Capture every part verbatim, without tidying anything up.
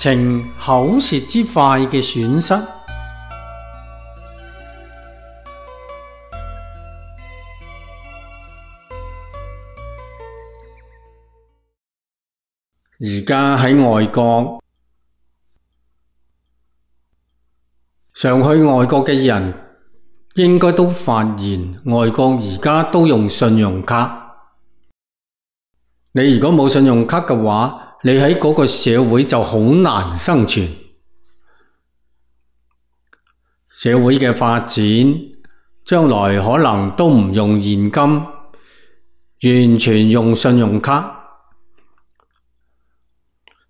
呈口舌之快嘅損失。而家喺外國，常去外國嘅人應該都發現，外國而家都用信用卡。你如果冇信用卡嘅話，你喺嗰個社會就好難生存。社會嘅發展，將來可能都唔用現金，完全用信用卡。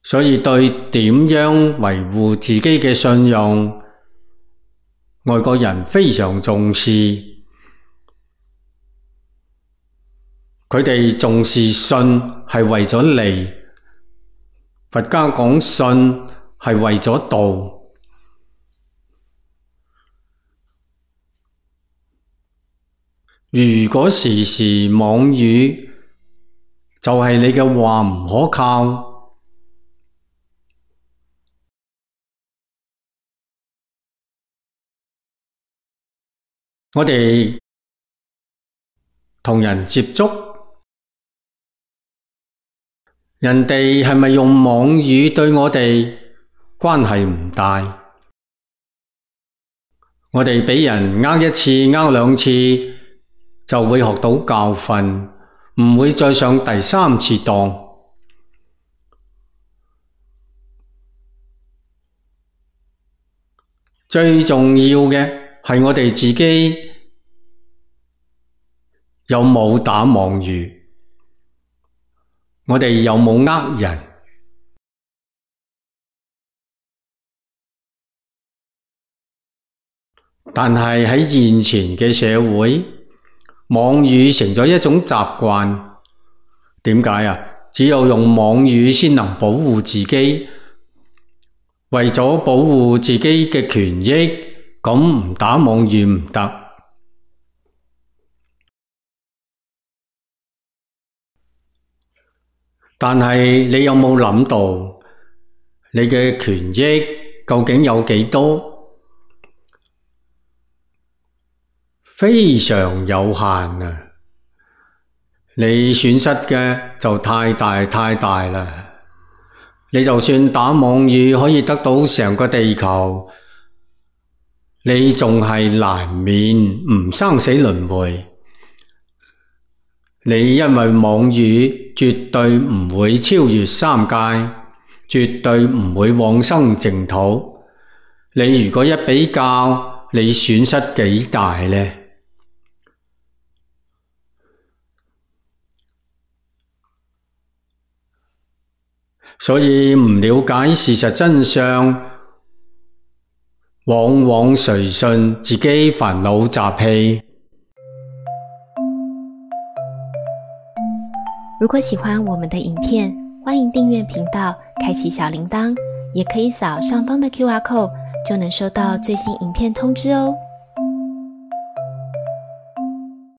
所以對點樣維護自己嘅信用，外國人非常重視。佢哋重視信係為咗利，佛家講信係為咗道。如果時時妄語，就係你嘅話唔可靠。我哋同人接觸，人哋係咪用妄語對我哋關係唔大？我哋俾人呃一次、呃兩次，就會學到教訓，唔會再上第三次當。最重要嘅係我哋自己有冇打妄語，我哋有冇呃人。但係喺現前嘅社會，妄語成咗一種習慣。點解啊？只有用妄語先能保護自己，為咗保護自己嘅權益，咁唔打妄語唔得。但係你有冇諗到，你嘅權益究竟有幾多？非常有限啊！你損失嘅就太大太大啦。你就算打妄語可以得到成個地球，你仲係難免唔生死輪迴。你因為妄語絕對唔會超越三界，絕對唔會往生淨土。你如果一比較，你損失幾大呢？所以唔了解事實真相，往往隨順自己煩惱習氣。如果喜歡我們的影片，歡迎訂閱頻道，開啟小鈴鐺，也可以掃上方的 Q R code，就能收到最新影片通知哦。